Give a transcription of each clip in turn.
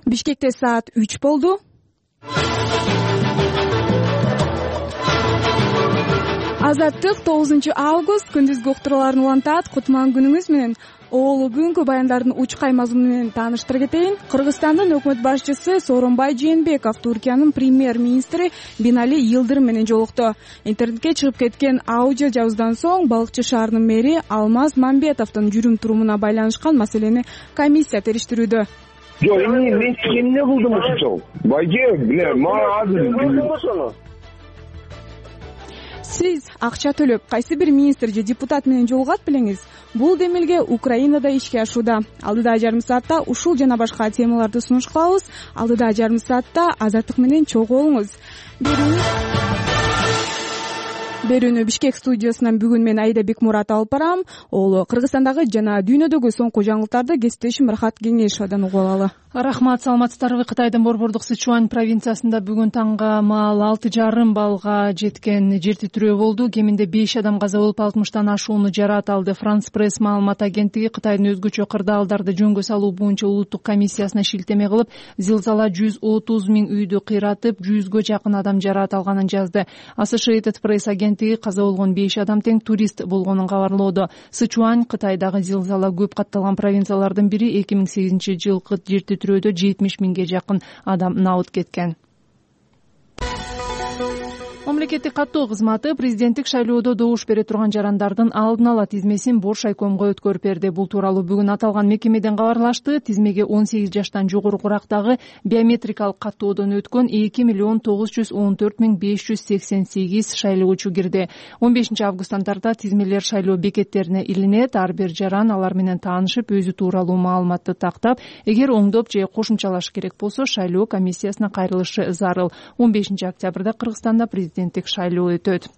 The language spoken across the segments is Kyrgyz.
Бишкекте саат 3 болду. Азаттык 9 август күндүзгү уктурууларын улантат. Кутман күнүңүз менен. Оолу бүгүнкү баяндардын учкай мазмуну менен тааныштыра кетейин. Кыргызстандын өкмөт башчысы Сооронбай Жээнбеков Туркиянын премьер-министри Бинали Йылдырым менен жолукту. Интернетке чыгып кеткен аудио жабыздан соң балыкчы шаарынын мэри Алмаз Мамбетовдун жүрүм-турумуна байланышкан маселени комиссия териштирүүдө. Жок, мен эмне кылдым ошол? Байже, мага азыр Сиз акча төлөп кайсы бир министр же депутат менен жолугат белеңиз? Бул демилге Украинада ишке ашууда. Алдыда жарым саатта ушул жана башка темаларды сунуш кылабыз. Алдыда жарым саатта Азаттык менен чогуу болуңуз. Берүүнү Бишкек студиясынан бүгүн мен Айда Бекмурат алып барам. Ол Кыргызстандагы жана дүйнөдөгү соңку жаңылыктарды кесиптешим Рахат Кеңешовдон угуп алалы. Рахмат, саламатсыздарбы? Кытайдын борбордук Сычуань провинциясында бүгүн таңга маал 6,5 баллга жеткен жер титирөө болду. Кеминде 5 адам каза болуп, 60тан ашууну жараат алды. Франс пресс маалымат агенттиги Кытайдын өзгөчө кырдаалдарды жөнгө салуу боюнча улуттук комиссиясына шилтеме кылып, зилзала 130 000 үйдү кыйратып, 100гө жакын адам жараат алганын жазды. Associated Press агенттиги каза болгон 5 адам тең турист болгонун кабарлоодо. Сычуань Кытайдагы зилзала көп катталган провинциялардын бири. 2008-жылкы жер титирөөдө 70 000ге жакын адам набыт кеткен. Мамлекеттик каттоо кызматы президенттик шайлоодо добуш бере турган жарандардын алдын ала тизмесин Бош айкомго өткөрүп берди. Бул тууралуу бүгүн аталган мекемеден кабарлашты. Тизмеге 18 жаштан жогорурактагы биометрикалык каттоодон өткөн 2,914,588 шайлоочу кирди. 15 августтан тарта тизмелер шайлоо бекеттерине илинет. Ар бир жаран алар менен таанышып, өзү тууралуу маалыматты тактап, эгер оңдоп же кошумчалаш керек болсо, шайлоо комиссиясына кайрылышы зарыл. 15 октябрда Кыргызстанда президенттик шайлоо өтөт.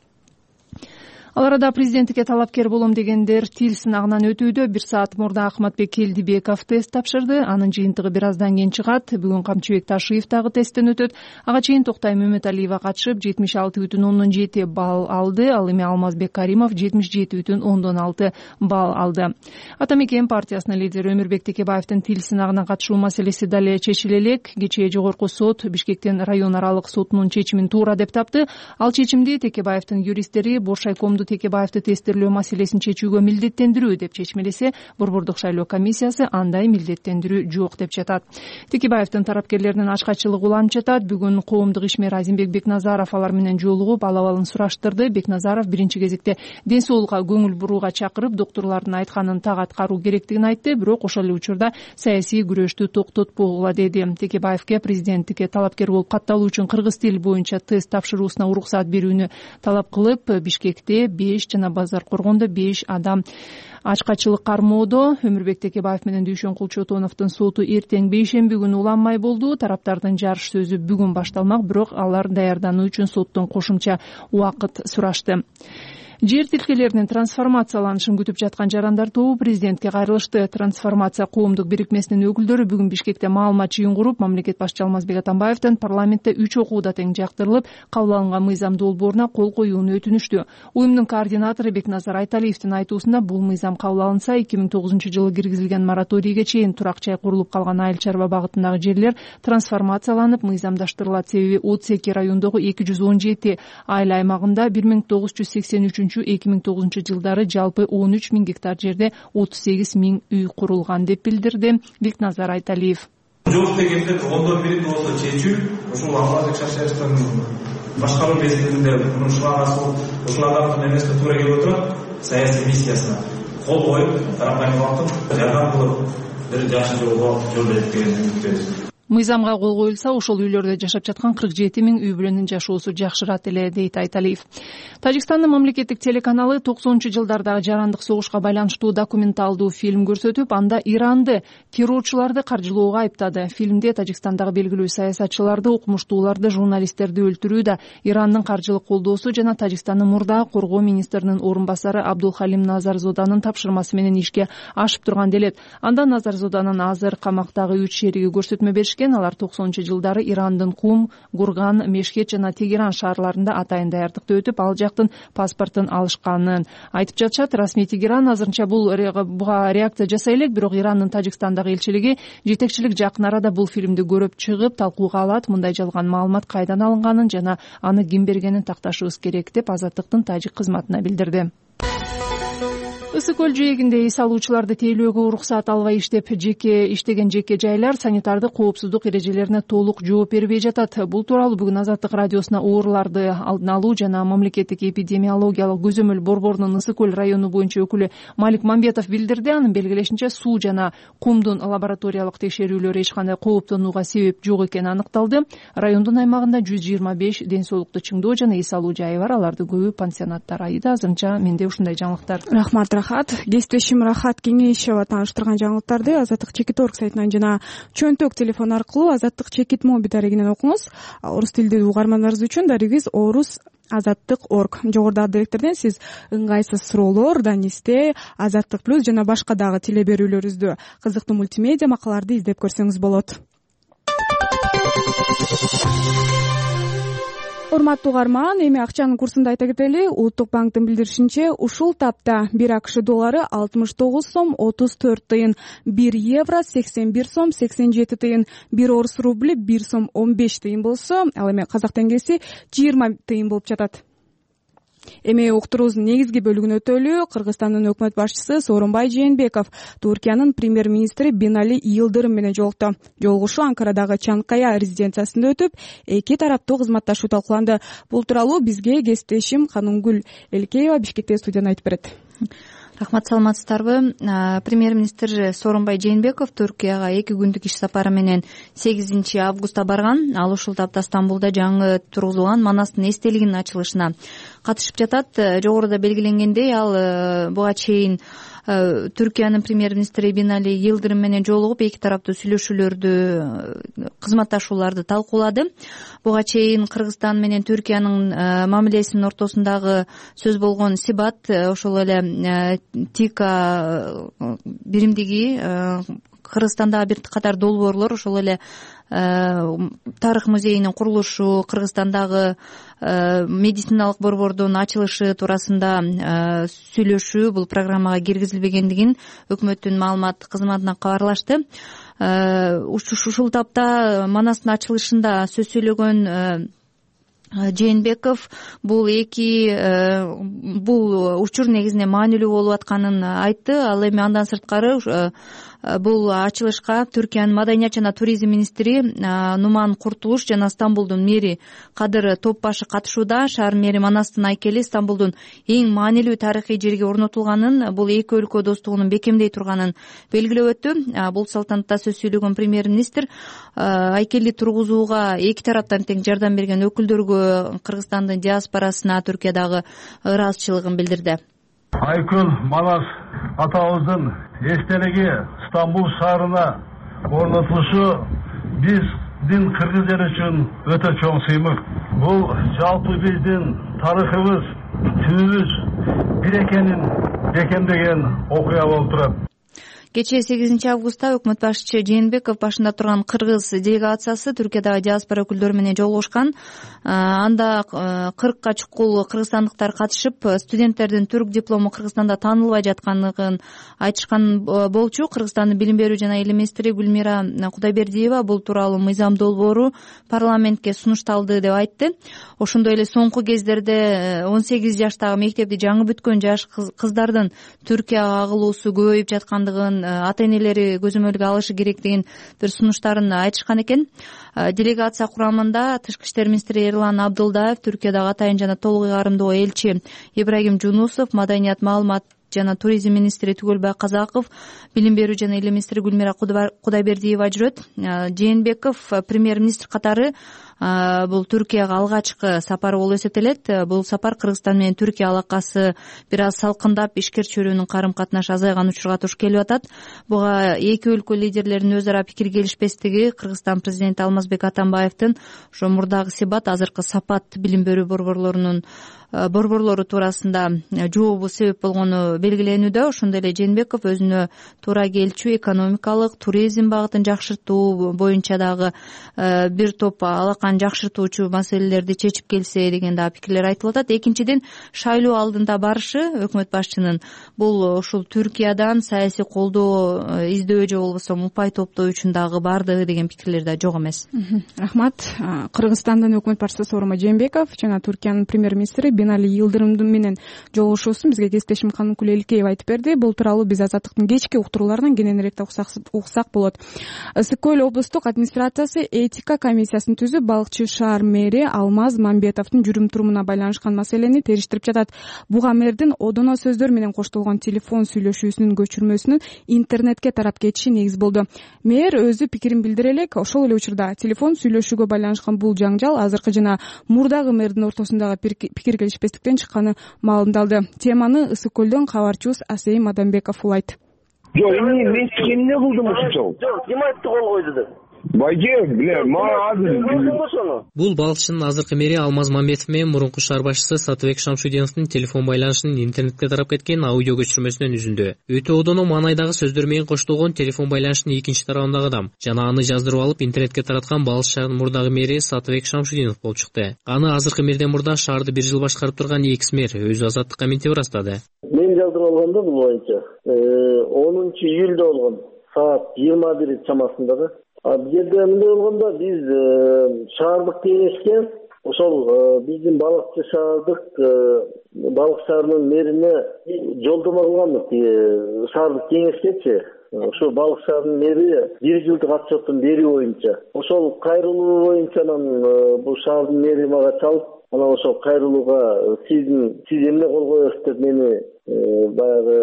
Ал арада президенттикке талапкер болом дегендер тил сынагынан өтүүдө. 1 саат мурда Акматбек Келдибеков тест тапшырды. Анын жыйынтыгы бир аздан кийин чыгат. Бүгүн Камчыбек Ташиев дагы тесттен өтөт. Ага чейин Токтай Мөмөталиева катышып 76,7 балл алды. Ал эми Алмазбек Каримов 77,6 балл алды. Ата Мекен партиясынын лидери Өмүрбек Текебаевдин тил сынагына катышуу маселеси дале чечиле элек. Кечээ жогорку сот Бишкектин район аралык сотунун чечимин туура деп тапты. Ал чечимди Текебаевдин юристтери Бош айкомду Текебаевди тестирлөө маселесин чечүүгө милдеттендирүү деп чечмелесе, борбордук шайлоо комиссиясы андай милдеттендирүү жок деп жатат. Текебаевдин тарапкерлеринин ачкачылыгы уланып жатат. Бүгүн коомдук ишмер Азимбек Бекназаров алар менен жолугуп, ал-абалын сураштырды. Бекназаров биринчи кезекте ден соолукка көңүл бурууга чакырып, доктурлардын айтканын так аткаруу керектигин айтты, бирок ошол эле учурда саясий күрөштү токтотпогула деди. Текебаевге президенттикке талапкер болуп катталуу үчүн кыргыз тили боюнча тест тапшыруусуна уруксат берүүнү талап кылып, Бишкекте 5 жана Базар Коргондо 5 адам ачкачылык кармоодо. Өмүрбек Текебаев менен Дүйшөн Кулчотоновдун соту эртең бейшемби күнү уланмай болду. Тараптардын жарыш сөзү бүгүн башталмак, бирок алар даярдануу үчүн соттон кошумча убакыт сурашты. Жер тилкелеринин трансформацияланышын күтүп жаткан жарандар тобу президентке кайрылышты. Трансформация коомдук бирикмесинин өкүлдөрү бүгүн Бишкекте маалымат жыйын куруп, мамлекет башчы Алмазбек Атамбаевдин парламентте 3 окууда тең жактырылып, кабыл алынган мыйзам долбооруна кол коюуну өтүнүштү. Уюмдун координатору Бекназар Айталиевдин айтуусунда, бул мыйзам кабыл алынса, 2009-жылы киргизилген мораторийге чейин турак жай курулуп калган айыл чарба багытындагы жерлер трансформацияланып, мыйзамдаштырылат. Себеби Оцеки райондогу 217 айыл аймагында 1983-2009 жылдары жалпы 13 000 гектар жерде 38 000 үй курулган деп билдирди Бекназар Айталиев. Жок дегенде ондон бири болсо чечүү, ушул Алмазбек Шашаевдин башкаруу мезгилинде ушулардын эмесине туура келип отурат, саясий миссиясына кол коюп, тарапайым кылып, жардам кылып, бир жакшы жолго жолдойт деген үмүттөбүз. Мыйзамга кол коюлса, ошол үйлөрдө жашап жаткан 47 000 үй бүлөнүн жашоосу жакшырат эле, дейт Айталиев. Тажикстандын мамлекеттик телеканалы 90-жылдардагы жарандык согушка байланыштуу документалдуу фильм көрсөтүп, анда Иранды террорчуларды каржылоого айыптады. Фильмде Тажикстандагы белгилүү саясатчыларды, окумуштууларды, журналисттерди өлтүрүүдө Ирандын каржылык колдоосу жана Тажикстандын мурдагы коргоо министринин орун басары Абдулхалим Назарзоданын тапшырмасы менен ишке ашып турган делет. Анда Назарзоданын азыр камактагы 3 шериги көрсөтмө беришкен. келишкен. Алар 90-жылдары Ирандын Кум, Гурган, Мешхет жана Тегеран шаарларында атайын даярдыкты өтүп, ал жактын паспортун алышканын айтып жатышат. Расмий Тегеран азырынча буга реакция жасай элек, бирок Ирандын Тажикстандагы элчилиги жетекчилик жакын арада бул фильмди көрүп чыгып талкууга алат, мындай жалган маалымат кайдан алынганын жана аны ким бергенин такташыбыз керек деп Азаттыктын тажик кызматына билдирди. Ысык көл жээгинде эс алуучуларды тейлөөгө уруксаат албай иштеген жеке жайлар санитардык коопсуздук эрежелерине толук жооп бербей жатат. Бул тууралуу бүгүн Азаттык радиосуна ооруларды алдын алуу жана мамлекеттик эпидемиологиялык көзөмөл борборунун Ысык көл району боюнча өкүлү Малик Мамбетов билдирди. Анын белгилешинче, суу жана кумдун лабораториялык текшерүүлөрү эч кандай кооптонууга себеп жок экени аныкталды. Райондун аймагында 125 ден соолукту чыңдоо жана эс алуу жайы бар. Алардын көбү пансионаттар. Айда азырынча менде ушундай жаңылыктар. Рахмат. Кесиптешим Рахат Кеңешева тааныштырган жаңылыктарды Азаттык Чекит.орг сайтынан жана чөнтөк телефон аркылуу Азаттык Чекит моби дарегинен окуңуз. Орус тилдүү угармандарыбыз үчүн дарегибиз orus.azаттык.org. Жогорудагы адектерден сиз ыңгайсыз суроолор, данисте, Азаттык плюс жана башка дагы теле берүүлөрүбүздү, кызыктуу мультимедиа макалаларды издеп көрсөңүз болот. Урматтуу угарман, эми акчанын курсун да айта кетели. Улуттук банктын билдиришинче, ушул тапта 1 АКШ доллары 69 сом 34 тыйын, 1 евро 81 сом 87 тыйын, 1 орус рубли 1 сом 15 тыйын болсо, ал эми казак теңгеси 20 тыйын болуп жатат. Эми уктуруубуздун негизги бөлүгүнө өтөлү. Кыргызстандын өкмөт башчысы Сооронбай Жээнбеков Туркиянын премьер-министри Бинали Йылдырым менен жолукту. Жолугушуу Анкарадагы Чанкая резиденциясында өтүп, эки тараптуу кызматташуу талкууланды. Бул тууралуу бизге кесиптешим Канунгүл Элкеева Бишкектеги студиядан айтып берет. Рахмат, саламатсыздарбы? Премьер-министр Сооронбай Жээнбеков Түркияга 2 күндүк иш сапары менен 8 августта барган. Ал ушул тапта Стамбулда жаңы тургузулган Манастын эстелигинин ачылышына катышып жатат. Жогоруда белгиленгендей, ал буга чейин Түркиянын премьер-министри Бинали Йылдырым менен жолугуп, эки тараптуу сүйлөшүүлөрдү, кызматташууларды талкуулады. Буга чейин Кыргызстан менен Түркиянын мамилесинин ортосундагы сөз болгон Сибат, ошол эле ТИКА биримдиги, Кыргызстандагы бир катар долбоорлор, ошол эле тарых музейинин курулушу, Кыргызстандагы медициналык борбордун ачылышы туурасында сүйлөшүү бул программага киргизилбегендигин өкмөттүн маалымат кызматына кабарлашты. Ушул тапта Манастын ачылышында сөз сөйлөгөн Жээнбеков бул учур негизинен маанилүү болуп атканын айтты. Ал эми андан сырткары бул ачылышка Түркиянын маданият жана туризм министри Нуман Куртулуш жана Стамбулдун мэри Кадыр Топбашы катышууда. Шаар мэри Манастын айкели Стамбулдун эң маанилүү тарыхый жерге орнотулганын, бул эки өлкө достугунун бекемдей турганын белгилеп өттү. Бул салтанатта сөз сөйлөгөн премьер-министр айкелди тургузууга эки тараптан тең жардам берген өкүлдөргө, Кыргызстандын диаспорасына Түркиядагы ыраазычылыгын билдирди. Айкөл Манас атабыздын эстелиги Стамбул шаарына орнотулушу биздин кыргыз эл үчүн өтө чоң сыймык. Бул жалпы биздин тарыхыбыз, түбүбүз бир экенин бекемдеген окуя болуп турат. Кечээ 8 августта өкмөт башчысы Жээнбеков башында турган кыргыз делегациясы Түркиядагы диаспора өкүлдөрү менен жолугушкан. Анда 40ка чукул кыргызстандыктар катышып, студенттердин түрк диплому Кыргызстанда таанылбай жаткандыгын айтышкан болчу. Кыргызстандын билим берүү жана илим министри Гүлмира Кудайбердиева бул тууралуу мыйзам долбоору парламентке сунушталды деп айтты. Ошондой эле соңку кездерде 18 жаштагы мектепти жаңы бүткөн жаш кыздардын Түркияга агылуусу көбөйүп жаткандыгын, ата-энелери көзөмөлгө алышы керектигин бир сунуштарын айтышкан экен. Делегация курамында тышкы иштер министри Эрлан Абдылдаев, Түркиядагы атайын жана толук ыйгарымдуу элчи Ибрагим Жунусов, маданият, маалымат жана туризм министри Түгөлбай Казаков, билим берүү жана илим министри Гүлмира Кудайбердиева жүрөт. Жээнбеков премьер-министр катары бул Түркияга алгачкы сапары болуп эсептелет. Бул сапар Кыргызстан менен Түркия алакасы бир аз салкындап, ишкер чөйрөнүн карым катнашы азайган учурга туш келип атат. Буга эки өлкө лидерлеринин өз ара пикир келишпестиги Кыргызстан президенти Алмазбек Атамбаевдин ошо мурдагы Сибат, азыркы Сапат билим берүү борборлору туурасында жообу себеп болгону белгиленүүдө. Ошондой эле Жээнбеков өзүнө туура келчү экономикалык, туризм багытын жакшыртуу боюнча дагы бир топ алаканы жакшыртуучу маселелерди чечип келсе деген дагы пикирлер айтылып атат. Экинчиден, шайлоо алдында барышы өкмөт башчынын бул ушул Түркиядан саясий колдоо издөө же болбосо упай топтоо үчүн дагы бардыгы деген пикирлер да жок эмес. Рахмат. Кыргызстандын өкмөт башчысы Сооронбай Жээнбеков жана Түркиянын премьер-министри Бинали Йылдырым менен жолугушуусун бизге кесиптешим Каныкүл Эликеев айтып берди. Бул тууралуу биз Азаттыктын кечки уктурууларынан кененирээк уксак болот. Ысык көл облустук администрациясы этика комиссиясын түзүп, Балыкчы шаар мэри Алмаз Мамбетовдун жүрүм-турумуна байланышкан маселени териштирип жатат. Буга мэрдин одоно сөздөр менен коштолгон телефон сүйлөшүүсүнүн көчүрмөсүнүн интернетке тарап кетиши негиз болду. Мэр өзү пикирин билдире элек, ошол эле учурда телефон сүйлөшүүгө байланышкан бул жаңжал азыркы жана мурдагы мэрдин ортосундагы пикир келишпестиктен чыкканы маалымдалды. Теманы Ысык көлдөн кабарчыбыз Асейим Адамбеков улайт. Жок, мен эмне кылдым ушунчалык? Жок, ким айтты кол койду деп? Бул балыкчынын азыркы мэри Алмаз Мамбетов менен мурунку шаар башчысы Сатыбек Шамшудиновдун телефон байланышынын интернетке тарап кеткен аудио көчүрмөсүнөн үзүндү. Өтө одоно маанайдагы сөздөр менен коштолгон телефон байланышынын экинчи тарабындагы адам жана аны жаздырып алып интернетке тараткан Балыкчы шаарынын мурдагы мэри Сатыбек Шамшудинов болуп чыкты. Аны азыркы мэрден мурда шаарды бир жыл башкарып турган экс-мэр өзү Азаттыкка мынтип ырастады. Мен жаздырып алганда бул боюнча 10-июлда болгон саат 21 чамасында да. Бул жерде мындай болгондо биз шаардык кеңешке ошол биздин Балыкчы шаарынын мэрине жолдомо кылганбыз. Шаардык кеңешкечи ошо Балыкчы шаарынын мэри бир жылдык отчеттун берүү боюнча ошол кайрылуу боюнча бул шаардын мэри мага чалып, анан ошол кайрылууга сиз эмне кол коесуз деп мени баягы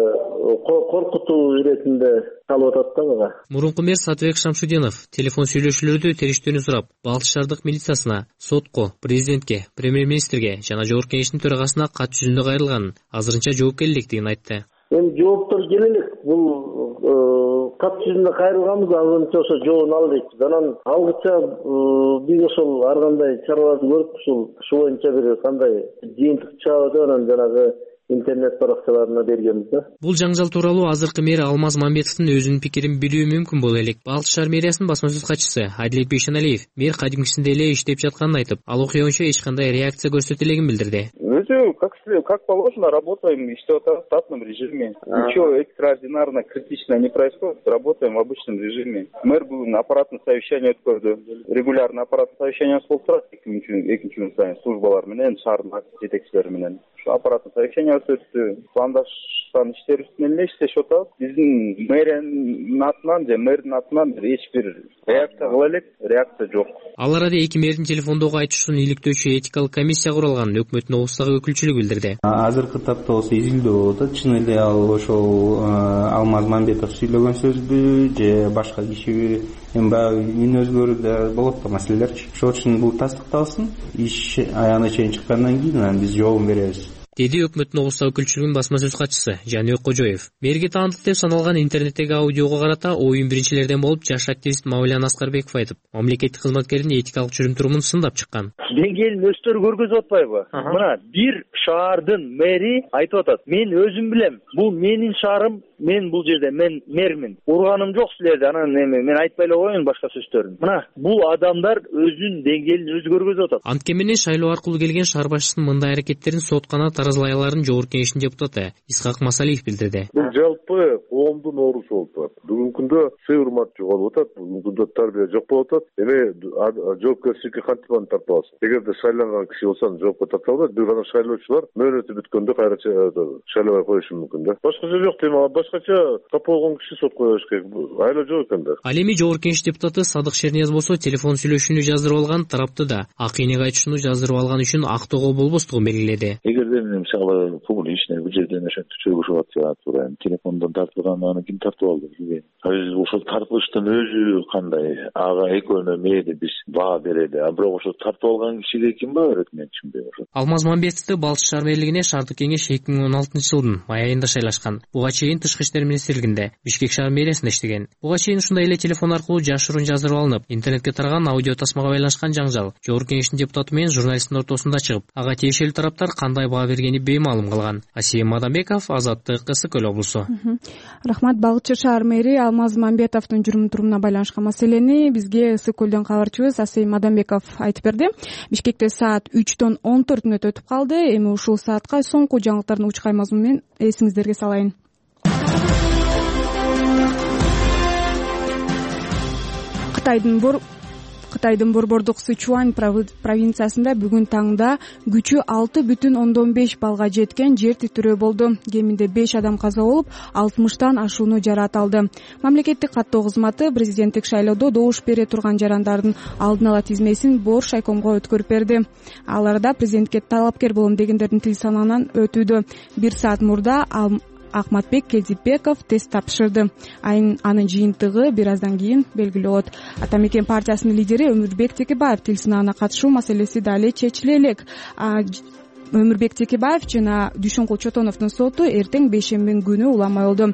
коркутуу иретинде калып атат да мага. Мурунку мэр Сатыбек Шамшудинов телефон сүйлөшүүлөрдү териштүүнү сурап, Балыкчы шаардык милициясына, сотко, президентке, премьер-министрге жана жогорку кеңештин төрагасына кат жүзүндө кайрылганын, азырынча жооп келелектигин айтты. Эми жооптор келелек. Бул кат жүзүндө кайрылганбыз, азырынча ошо жообун албайбыз. Анан алгыча биз ошол ар кандай чараларды көрүп, ушул боюнча бир кандай жыйынтык чыгабы деп анан жанагы интернет баракчаларына бергенбиз да. Бул жаңжал тууралуу азыркы мэр Алмаз Мамбетовдун өзүнүн пикирин билүү мүмкүн боло элек. Балыкчы шаар мэриясынын басма сөз катчысы Адилет Бейшеналиев мэр кадимкисинде эле иштеп жатканын айтып, ал окуя боюнча эч кандай реакция көрсөтө элегин билдирди. Өзү как положено работаем, иштеп атабыз в штатном режиме. Ничего экстраординарно, критично не происходит. Работаем в обычном режиме. Мэр бүгүн аппараттын совещание өткөрдү. Регулярно аппараттын совещаниясы болуп турат экинчи күн сайын службалар менен, шаардын жетекчилери менен. Ошо аппараттын совещание өттү. Пландаштан иштер үстүнөн эле иштешип атабыз. Биздин мэриянын атынан же мэрдин атынан эч бир реакция кыла элек, реакция жок. Ал арада эки мэрдин телефондогу айтышуун иликтөөчү этикалык комиссия курулганын өкмөттүн облустагы өкүлчүлүгү билдирди. Азыркы тапта болсо изилдөө болуп атат. Чын эле ал ошол Алмаз Мамбетов сүйлөгөн сөзбү же башка кишиби, эми баягы үн өзгөрүү да болот да маселелерчи. Ошол үчүн бул тастыкталсын. Иш аягына чейин чыккандан кийин анан биз жообун беребиз, деди өкмөттүн облустагы өкүлчүлүгүнүн басма сөз катчысы Жаныбек Кожоев. Мэрге таандык деп саналган интернеттеги аудиого карата оюн биринчилерден болуп жаш активист Мавлян Аскарбеков айтып, мамлекеттик кызматкердин этикалык жүрүм-турумун сындап чыккан. Деңгээлин өстөрү көргөзүп атпайбы? Мына бир шаардын мэри айтып атат. Мен өзүм билем, бул менин шаарым, мен бул жерде мен мэрмин. Урганым жок силерди, анан эми мен айтпай эле коеюн башка сөздөрүн. Мына бул адамдар өзүнүн деңгээлин өзү көргөзүп атат. Анткени шайлоо аркылуу келген шаар башчысынын мындай аракеттерин соткана таразылай аларын жогорку кеңештин депутаты Исхак Масалиев билдирди. Бул жалпы коомдун оорусу болуп турат. Бүгүнкү күндө сый-урмат жоголуп атат, бүгүнкү күндө тарбия жок болуп атат. Эми жоопкерчиликке кантип аны тартып аласың? Эгерде шайланган киши болсоң жоопко тартып алат, бир гана шайлоочулар мөөнөтү бүткөндө кайра шайлабай коюшу мүмкүн да. Башка жок дейм, башкача тап болгон киши соп кое бериш керек, айла жок экен да. Ал эми Жогорку Кеңеш депутаты Садык Шернияз болсо телефон сүйлөшүүнү жаздырып алган тарапты да ак энеге айтышууну жаздырып алган үчүн актоого болбостугун белгиледи. Эгерде мен мисалы публичный бул жерден ошентип чөгүшүп атса туура телефондон тартылган, аны ким тартып алды билбейм. Ошол тартылыштын өзү кандай, ага экөөнө мээде биз баа берели, а бирок ошо тартып алган кишиге ким баа берет мен түшүнбөйм. Алмаз Мамбетовду Балчы шаар мэрлигине шаардык кеңеш 2016 жылдын май айында шайлашкан. Буга чейин Тышкы иштер министрлигинде, Бишкек шаар мэриасында иштеген. Буга чейин ушундай эле телефон аркылуу жашыруун жаздырып алынып, интернетке тараган аудио тасмага байланышкан жаңжал Жогорку Кеңештин депутаты менен журналисттин ортосунда чыгып, ага тиешелүү тараптар кандай баа бергени беймаалым калган. Асем Мадамбеков, Азаттык, Ысык Көл облусу. Рахмат. Балчы шаар мэри Алмаз Мамбетовдун жүрүм-турумуна байланышкан маселени бизге Ысык Көлдөн кабарчыбыз Асем Мадамбеков айтып берди. Бишкекте саат 3:14 өтүп калды. Эми ушул саатка соңку жаңылыктардын учкай мазмуну менен эсиңиздерге салайын. Кытайдын борбордук Сычуань провинциясында бүгүн таңда күчү 6,5 балга жеткен жер титирөө болду. Кеминде 5 адам каза болуп, 60тан ашууну жараат алды. Мамлекеттик каттоо кызматы президенттик шайлоодо добуш бере турган жарандардын алдын ала тизмесин Бор шайкомго өткөрүп берди. Аларда президентке талапкер болом дегендердин тил санынан өтүүдө. 1 саат мурда Акматбек Келдипбеков тест тапшырды. Анын жыйынтыгы бир аздан кийин белгилүү болот. Ата Мекен партиясынын лидери Өмүрбек Текебаев тил сынаана катышуу маселеси дали чечиле элек. Өмүрбек Текебаев жана Дүйшөнкул Чотоновдун соту эртең бейшембинин күнү уламай болду.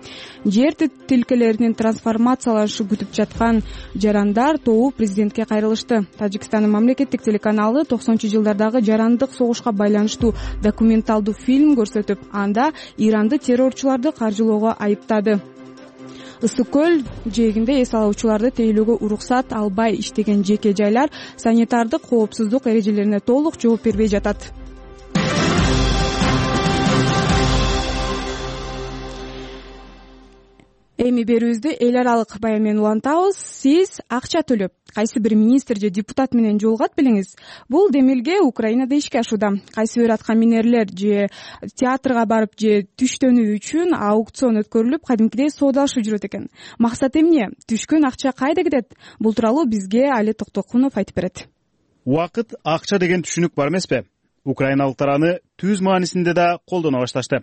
Жер тилкелеринин трансформацияланышы күтүп жаткан жарандар тобу президентке кайрылышты. Тажикстандын мамлекеттик телеканалы 90-жылдардагы жарандык согушка байланыштуу документалдуу фильм көрсөтүп, анда Иранды террорчуларды каржылоого айыптады. Ысык Көл жээгинде эс алуучуларды тейлөөгө уруксат албай иштеген жеке жайлар санитардык коопсуздук эрежелерине толук жооп бербей жатат. Эми берүүбүздү эл аралык баян менен улантабыз. Сиз акча төлөп кайсы бир министр же депутат менен жолугат белеңиз. Бул демилге Украинада ишке ашууда. Кайсы бир аткаминерлер же театрга барып же түштөнүү үчүн аукцион өткөрүлүп, кадимкидей соодалашып жүрөт экен. Максат эмне? Түшкөн акча кайда кетет? Бул тууралуу бизге Али Токтокунов айтып берет. Убакыт акча деген түшүнүк бар эмеспи? Украиналыктар аны түз маанисинде да колдоно башташты.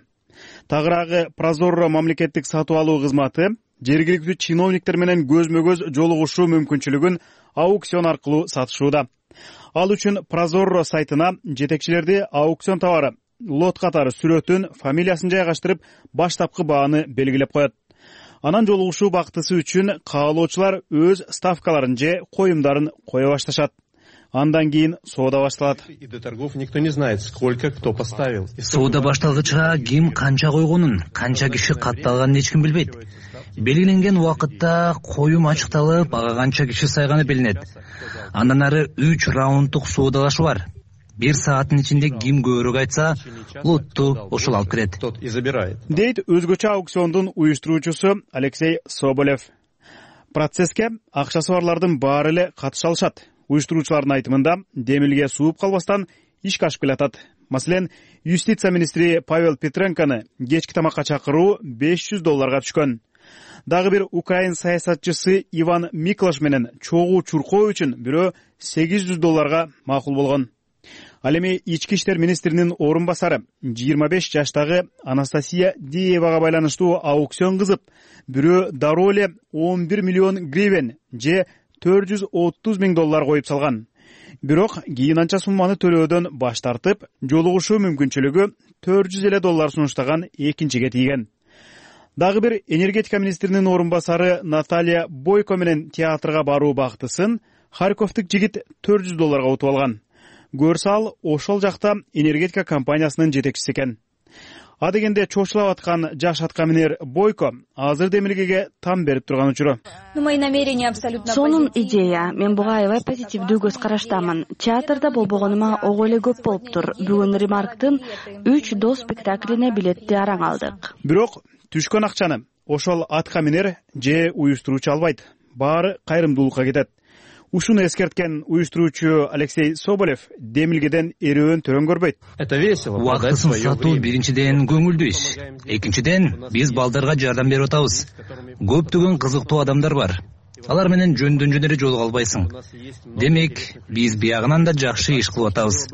Тагыраагы Прозорро мамлекеттик сатып алуу кызматы жергиликтүү чиновниктер менен көзмө-көз жолугушуу мүмкүнчүлүгүн аукцион аркылуу сатышууда. Ал үчүн Прозорро сайтына жетекчилерди аукцион товары, лот катары сүрөтүн, фамилиясын жайгаштырып, баштапкы бааны белгилеп коет. Анан жолугушуу бактысы үчүн каалоочулар өз ставкаларын же коюмдарын кое башташат. Андан кийин соода башталат. Соода башталгыча ким канча койгонун, канча киши катталганын эч ким билбейт. Белгиленген убакытта коюм ачыкталып, ага канча киши сайганы билинет. Андан ары 3 раунддук соодалашуу бар. 1 сааттын ичинде ким көбүрөөк айтса, лотту ошол алып кирет. Дейт өзгөчө аукциондун уюштуруучусу Алексей Соболев. Процесске акчасы барлардын баары эле катыша алышат. Уюштуруучулардын айтымында демилге сууп калбастан ишке ашып келатат. Маселен, юстиция министри Павел Петренконы кечки тамакка чакыруу $500 түшкөн. Дагы бир украин саясатчысы Иван Миклаш менен чогуу чуркоо үчүн бирөө $800 макул болгон. Ал эми ички иштер министринин орун басары 25 жаштагы Анастасия Диевага байланыштуу аукцион кызып, бирөө дароо эле 11 миллион гривен же $430 миң коюп салган. Бирок кийин анча сумманы төлөөдөн баш тартып, жолугушуу мүмкүнчүлүгү $400 сунуштаган экинчиге тийген. Дагы бир энергетика министринин орун басары Наталья Бойко менен театрга баруу бактысын Харьковдук жигит $400 утуп алган. Көрсө ал ошол жакта энергетика компаниясынын жетекчиси экен. А дегенде чочулап аткан жаш аткаминер Бойко азыр демилгеге там берип турган учуру. Сонун идея. Мен буга аябай позитивдүү көз караштамын. Театрда болбогонума ого эле көп болуптур. Бүгүн Ремарктын 3 до спектаклине билетти араң алдык. Бирок түшкөн акчаны ошол аткаминер же уюштуруучу албайт. Баары кайрымдуулукка кетет. Ушуну эскерткен уюштуруучу Алексей Соболев демилгеден эрөөн төрөн көрбөйт. Это весело. Убактысын сатуу биринчиден көңүлдүү иш. Экинчиден биз балдарга жардам берип атабыз. Көптөгөн кызыктуу адамдар бар. Алар менен жөндөн жөн эле жолуга албайсың. Демек, биз биягынан да жакшы иш кылып атабыз.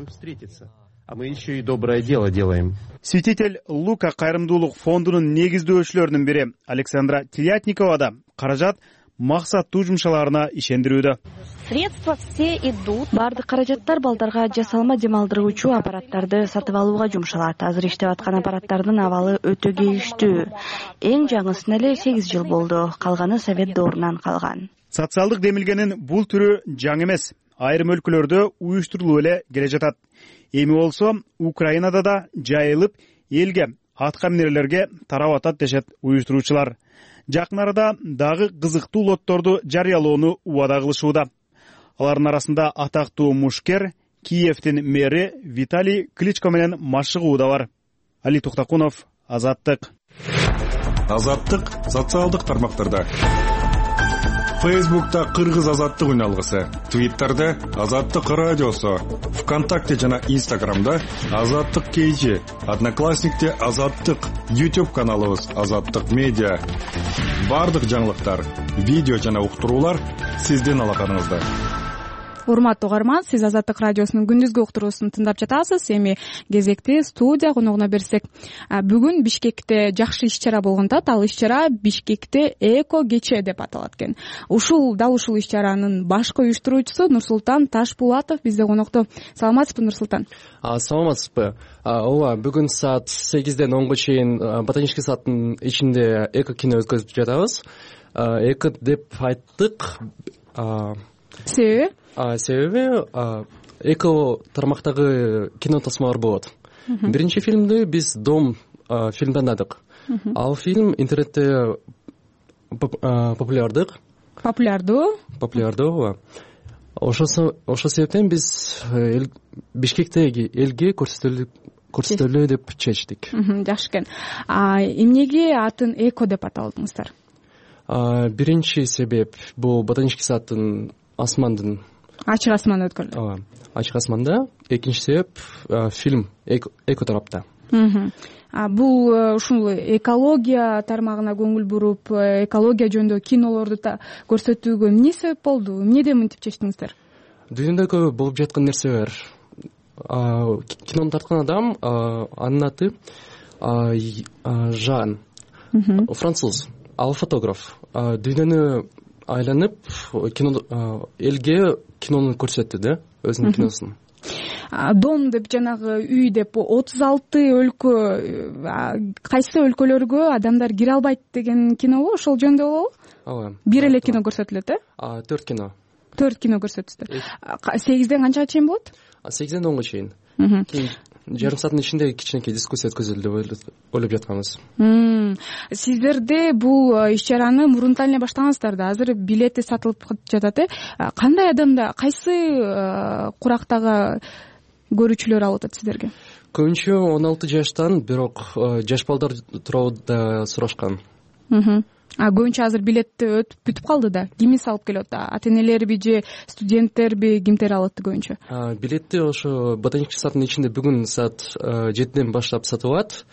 А мы еще и доброе дело делаем. Святитель Лука кайрымдуулук фондунун негиздөөчүлөрүнүн бири Александра Телятникова да каражат максаттуу жумшаларына ишендирүүдө. Средства все идут. Бардык каражаттар балдарга жасалма дем алдыруучу аппараттарды сатып алууга жумшалат. Азыр иштеп аткан аппараттардын абалы өтө кейиштүү. Эң жаңысына эле 8 жыл болду. Калганы совет доорунан калган. Социалдык демилгенин бул түрү жаңы эмес. Айрым өлкөлөрдө уюштурулуп эле келе жатат. Эми болсо Украинада да жайылып элге, атка минерлерге тарап атат дешет уюштуруучулар. Жакын арада дагы кызыктуу лотторду жарыялоону убада кылышууда. Алардын арасында атактуу мушкер, Киевдин мэри Виталий Кличко менен машыгуу да бар. Али Туктакунов, Азаттык. Азаттык социалдык тармактарда. Фейсбукта Кыргыз азаттык үналгысы, Твиттерде Азаттык радиосу, ВКонтакте жана Инстаграмда Азаттык KG, Одноклассникте Азаттык, YouTube каналыбыз Азаттык медиа. Бардык жаңылыктар, видео жана уктуруулар сиздин алаканыңызда. Урматтуу угарман, сиз Азаттык радиосунун күндүзгү уктуруусун тыңдап жатасыз. Эми кезекти студия коногуна берсек. Бүгүн Бишкекте жакшы иш-чара болгондо, ал иш-чара Бишкекте эко кече деп аталат экен. Ушул иш-чаранын башкы уюштуруучусу Нурсултан Ташпулатов бизде конокто. Саламатсызбы, Нурсултан? Саламатсызбы. Ооба, бүгүн саат 8ден 10го чейин ботанический садтын ичинде эко кино өткөзүп жатабыз. Эко деп айттык. Себеби эко тармактагы кино тосмолор болот. Биринчи фильмди биз Дом фильмди тандадык. Ал фильм интернетте популярдуу. Ооба. Ошол себептен биз Бишкектеги элге көрсөтөлү деп чечтик. Жакшы экен. Эмнеге атын эко деп аталдыңыздар? Биринчи себеп бул ботанический садтын асмандын ачык асман өткөрүлөт. Ооба, ачык асманда. Экинчи себеп фильм эко тарапта. Бул ушул экология тармагына көңүл буруп, экология жөнүндө кинолорду көрсөтүүгө эмне себеп болду? Эмнеден мынтип чечтиңиздер? Дүйнөдө болуп жаткан нерсе бар. Кинону тарткан адам, анын аты Жан. Француз. Ал фотограф. Дүйнөнү айланып элге кинону көрсөттү да, өзүнүн киносун. Дом деп жанагы үй деп 36 өлкө, кайсы өлкөлөргө адамдар кире албайт деген кинобу, ошол жөнүндө болобу? Ооба. Бир эле кино көрсөтүлөт, 4 кино. 4 кино көрсөтүлөт. 8ден канчага чейин болот? 8ден 10го чейин. Жарым сааттын ичинде кичинекей дискуссия өткөзөлү деп ойлоп жатканбыз. Сиздерде бул иш-чараны мурунтан эле баштагансыздар да, азыр билети сатылып жатат. Кандай адамда, кайсы курактагы көрүүчүлөр алып атат сиздерге? Көбүнчө 16 жаштан, бирок жаш балдар тууралуу да сурашкан. Көбүнчө азыр билетти өтүп бүтүп калды да. Кимиз алып келет? Ата-энелерби же студенттерби, кимдер алат көбүнчө? Билетти ошо ботанический садтын ичинде бүгүн саат 7ден баштап сатылат.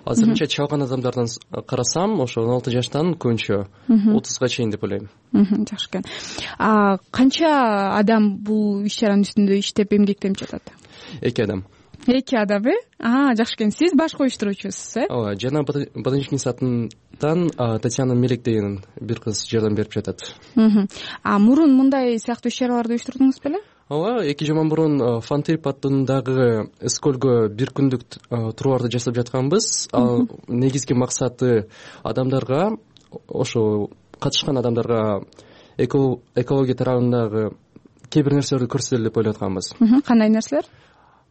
Азырынча чалган адамдардан карасам, ошо 16 жаштан көбүнчө 30га чейин деп ойлойм. Жакшы экен. Канча адам бул иш-чаранын үстүндө иштеп эмгектенип жатат? 2 адам. 2 адам, жакшы экен. Сиз башкы уюштуруучусуз, Ооба, жана ботанический садтан Татьяна Мелек деген бир кыз жардам берип жатат. Мурун мындай сыяктуу иш-чараларды уюштурдуңуз беле? Ооба, 2 жыл мурун Фантрип аттындагы Эскөлгө бир күндүк турларды жасап жатканбыз. Ал негизги максаты адамдарга, ошо катышкан адамдарга экология тарабындагы кээ бир нерселерди көрсөтөлү деп ойлоп атканбыз. Кандай нерселер?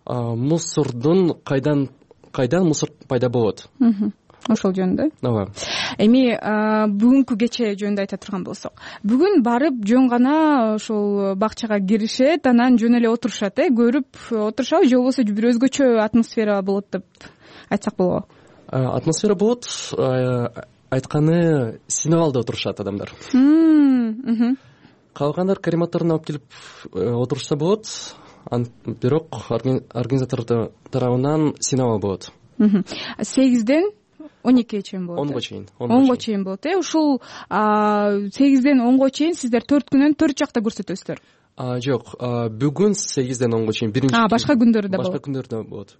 Мусордун кайдан мусор пайда болот. Ошол жөнүндө. Ооба. Эми бүгүнкү кече жөнүндө айта турган болсок, бүгүн барып жөн гана ошол бакчага киришет, анан жөн эле отурушат, көрүп отурушабы же болбосо бир өзгөчө атмосфера болот деп айтсак болобу? Атмосфера болот, айтканы синеп алды отурушат адамдар. калгандар карематоруна алып келип отурушса болот, бирок организатор тарабынан сыйнабал болот. 8ден 12ге чейин болот. 10го чейин. 10го чейин болот. Ушул 8ден 10го чейин сиздер 4 күнөн 4 жакта көрсөтөсүздөр. Жок, бүгүн 8ден 10го чейин биринчи. Башка күндөрү да болот. Башка күндөрү да болот.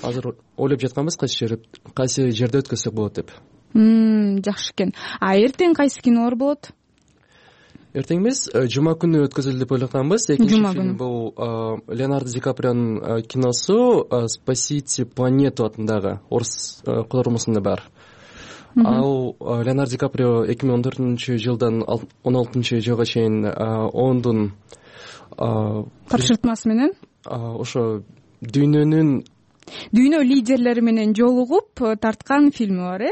Азыр ойлоп жатканбыз кайсы жерде өткөзсөк болот деп. Жакшы экен. Эртең кайсы кинолор болот? Эртең эмес, жума күнү өткөзөлү деп ойлоп атканбыз. Экинчи фильм бул Леонардо Ди Каприонун киносу «Спасите планету» атындагы орус котормосунда бар. Ал Леонардо Ди Каприо 2014-жылдан 16-жылга чейин ондун тапшыртмасы менен ошо дүйнө лидерлери менен жолугуп тарткан фильми бар,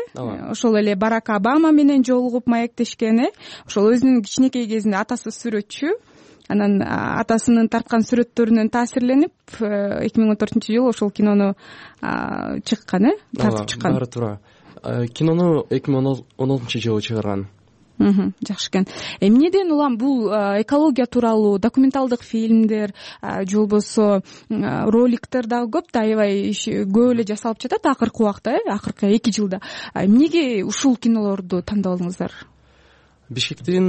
ошол эле Барак Обама менен жолугуп маектешкен, ошол өзүнүн кичинекей кезинде атасы сүрөтчү, анан атасынын тарткан сүрөттөрүнөн таасирленип 2014-жылы ошол кинону чыккан, тартып чыккан. Баары туура. Кинону 2016-жылы чыгарган. Жакшы экен. Эмнеден улам бул экология тууралуу документалдык фильмдер же болбосо роликтер дагы көп да, аябай көп эле жасалып жатат акыркы убакта, акыркы 2 жылда. Эмнеге ушул кинолорду тандап алдыңыздар? Бишкекте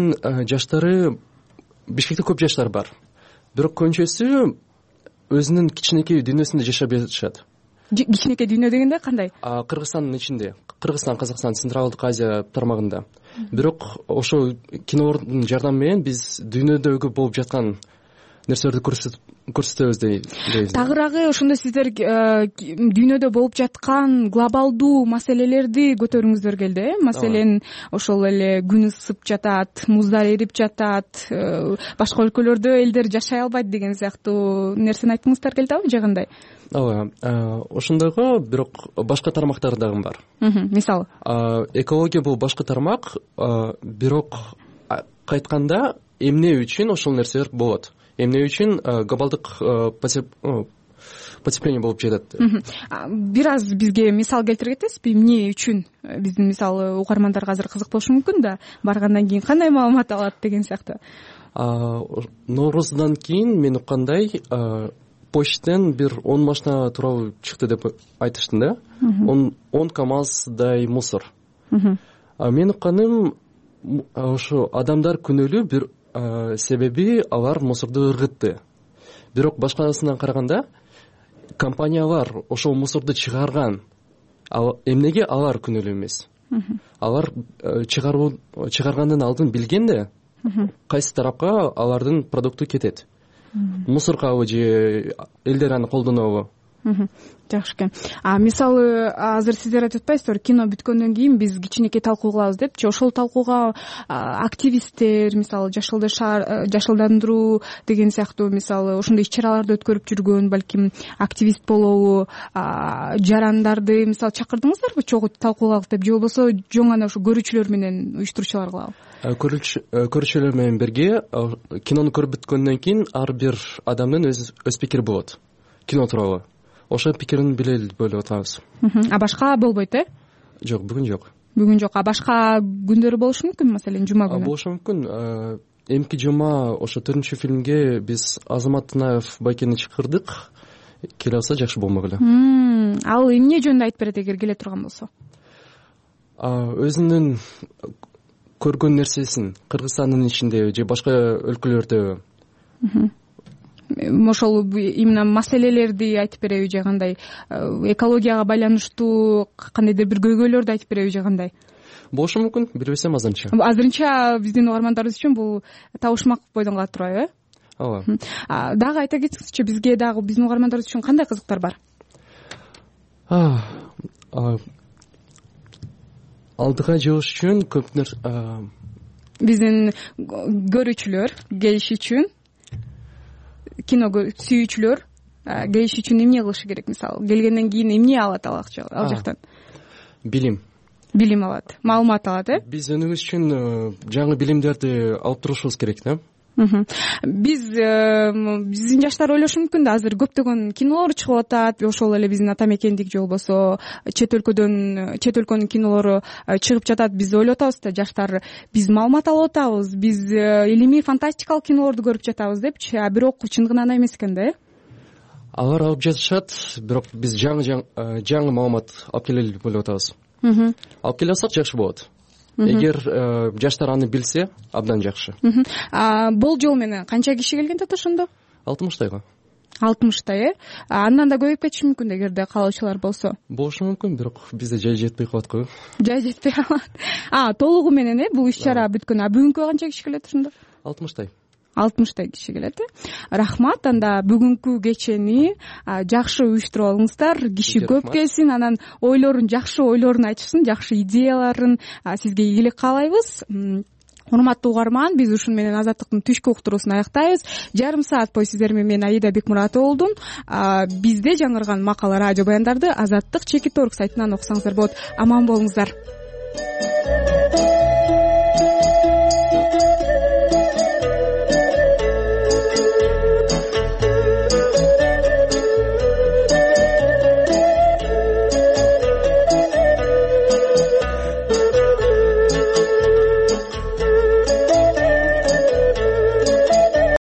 көп жаштар бар. Бирок көбүнчөсү өзүнүн кичинекей дүйнөсүндө жашап жатышат. Кичинекей дүйнө дегенде кандай? Кыргызстандын ичинде. Кыргызстан, Казакстан, Централдык Азия тармагында. Бирок ошол кинолордун жардамы менен биз дүйнөдөгү болуп жаткан нерселерди көрсөтөбүз дейбиз. Тагыраагы ошондо сиздер дүйнөдө болуп жаткан глобалдуу маселелерди көтөргүңүздөр келди, Маселен, ошол эле күн ысып жатат, муздар эрип жатат, башка өлкөлөрдө элдер жашай албайт деген сыяктуу нерсени айткыңыздар келдиби же кандай? Ооба, ошондойго бирок башка тармактар дагы бар. Мисалы? Экология бул башка тармак, бирок кайтканда эмне үчүн ошол нерселер болот? Эмне үчүн глобалдык потепление болуп жатат? Бир аз бизге мисал келтире кетесизби? Эмне үчүн? Биздин мисалы угармандарга азыр кызык болушу мүмкүн да, баргандан кийин кандай маалымат алат деген сыяктуу. Нооруздан кийин мен уккандай почтен бир 10 машина тууралуу чыкты деп айтышты да. 10 КамАЗдай мусор. Мен укканым ошо адамдар күнөөлүү, бир себеби алар мусорду ыргытты. Бирок башкасынан караганда компаниялар ошол мусорду чыгарган. Эмнеге алар күнөөлүү эмес? Алар чыгаргандын алдын билгенде кайсы тарапка алардын продукту кетет? Мусоргабы же элдер аны колдонобу? Жакшы экен. Мисалы азыр сиздер айтып атпайсыздарбы, кино бүткөндөн кийин биз кичинекей талкуу кылабыз депчи. Ошол талкууга активисттер, мисалы жашылдандыруу деген сыяктуу, мисалы ошондой иш-чараларды өткөрүп жүргөн, балким активист болобу, жарандарды мисалы чакырдыңыздарбы чогуу талкууга деп, же болбосо жоң гана ушу көрүүчүлөр менен уюштуруучулар кылабы? Көрүүчүлөр менен бирге кинону көрүп бүткөндөн кийин ар бир адамдын өз пикири болот кино тууралуу. Ошол пикирин билели деп ойлоп атабыз. Башка болбойт, Жок, бүгүн жок. Бүгүн жок. Башка күндөрү болушу мүмкүн, маселен, жума күнү? Болушу мүмкүн. Эмки жума ошо 4-фильмге биз Азамат Тынаев байкени чакырдык. Келе алса жакшы болмок эле. Ал эмне жөнүндө айтып берет эгер келе турган болсо? Өзүнүн көргөн нерсесин Кыргызстандын ичинде же башка өлкөлөрдө ошол именно маселелерди айтып береби же кандай, экологияга байланыштуу кандайдыр бир көйгөйлөрдү айтып береби же кандай? Болушу мүмкүн, билбесем азырынча. Азырынча биздин угармандарыбыз үчүн бул табышмак бойдон калат турбайбы? Ооба. Дагы айта кетсеңизчи, бизге дагы биздин угармандарыбыз үчүн кандай кызыктар бар? Алдыга жылыш үчүн көп нерсе биздин көрүүчүлөр келиш үчүн, кино сүйүүчүлөр келиш үчүн эмне кылышы керек? Мисалы, келгенден кийин эмне алат ал жактан? Билим алат, маалымат алат, Биз өнүгүш үчүн жаңы билимдерди алып турушубуз керек да. биздин жаштар ойлошу мүмкүн да, азыр көптөгөн кинолор чыгып атат, ошол эле биздин ата мекендик же болбосо чет өлкөнүн кинолору чыгып жатат. Биз ойлоп атабыз да, жаштар биз маалымат алып атабыз, биз илимий фантастикалык кинолорду көрүп жатабыз депчи, а бирок чындыгында андай эмес экен да. Алар алып жатышат, бирок биз жаңы маалымат алып келели деп ойлоп атабыз. Алып келе алсак жакшы болот. Эгер жаштар аны билсе, абдан жакшы. Болжол менен канча киши келген да ошондо? 60тайга. 60тай, андан да көбөйүп кетиши мүмкүн эгерде каалоочулар болсо. Болушу мүмкүн, бирок бизде жай жетпей калат го. Жай жетпей калат. Толугу менен бул иш чара бүткөн. Бүгүнкү канча киши келет ошондо? 60тай. 60тай киши келет. Рахмат. Анда бүгүнкү кечени жакшы уюштуруп алыңыздар. Киши көп келсин, анан жакшы ойлорун айтышсын, жакшы идеяларын сизге ийгилик каалайбыз. Урматтуу угарман, биз ушун менен Азаттыктын түшкү уктуруусун аяктайбыз. Жарым саат бою сиздер менен мен Аида Бекмуратова болдум. Бизде жаңырган макала, радио баяндарды Азаттык Чекит.орг сайтынан окусаңыздар болот. Аман болуңуздар.